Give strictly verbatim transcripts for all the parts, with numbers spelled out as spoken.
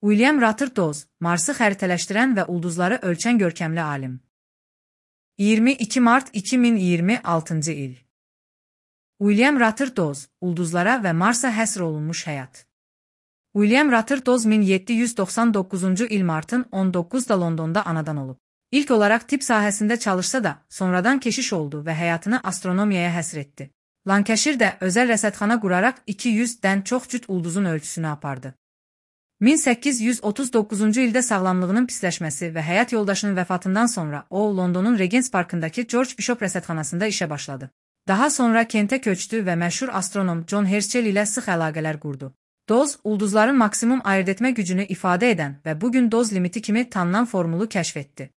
William Rutherford, Marsı xəritələşdirən və ulduzları ölçən görkəmli alim. iyirmi iki mart iki min iyirmi altıncı il. William Rutherford, ulduzlara və Marsa həsr olunmuş həyat. William Rutherford min yeddi yüz doxsan doqquzuncu il martın on doqquzunda Londonda anadan olub. İlk olaraq tibb sahəsində çalışsa da, sonradan keşiş oldu və həyatını astronomiyaya həsr etdi. Lancashire-də özəl rəsədxana quraraq iki yüzdən çox cüt ulduzun ölçüsünü apardı. min səkkiz yüz otuz doqquzuncu ildə sağlamlığının pisləşməsi və həyat yoldaşının vəfatından sonra o, Londonun Regents Parkındakı George Bishop rəsədxanasında işə başladı. Daha sonra Kentə köçdü və məşhur astronom John Herschel ilə sıx əlaqələr qurdu. Doz, ulduzların maksimum ayırd etmə gücünü ifadə edən və bugün doz limiti kimi tanınan formulu kəşf etdi.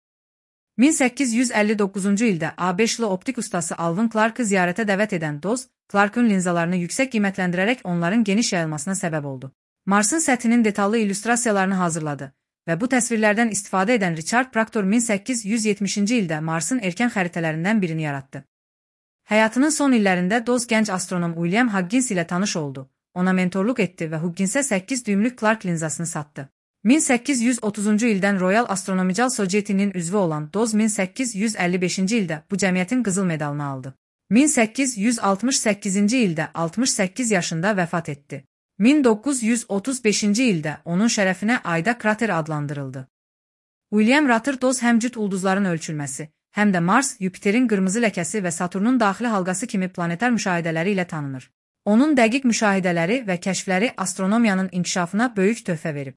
min səkkiz yüz əlli doqquzuncu ildə A beşli optik ustası Alvin Clark'ı ziyarətə dəvət edən Doz, Clark'ın linzalarını yüksək qiymətləndirərək onların geniş yayılmasına səbəb oldu. Marsın səthinin detallı illüstrasiyalarını hazırladı və bu təsvirlərdən istifadə edən Richard Proctor min səkkiz yüz yetmişinci ildə Marsın erkən xəritələrindən birini yaratdı. Həyatının son illərində Doz gənc astronom William Huggins ilə tanış oldu, ona mentorluq etdi və Hugginsə səkkiz düymlük Clark linzasını satdı. min səkkiz yüz otuzuncu ildən Royal Astronomical Society-nin üzvü olan Doz min səkkiz yüz əlli beşinci ildə bu cəmiyyətin qızıl medalını aldı. min səkkiz yüz altmış səkkizinci ildə altmış səkkiz yaşında vəfat etdi. min doqquz yüz otuz beşinci ildə onun şərəfinə Ayda krater adlandırıldı. William Rutherford həm cüt ulduzların ölçülməsi, həm də Mars, Yupiterin qırmızı ləkəsi və Saturnun daxili halqası kimi planetar müşahidələri ilə tanınır. Onun dəqiq müşahidələri və kəşfləri astronomiyanın inkişafına böyük töhfə verib.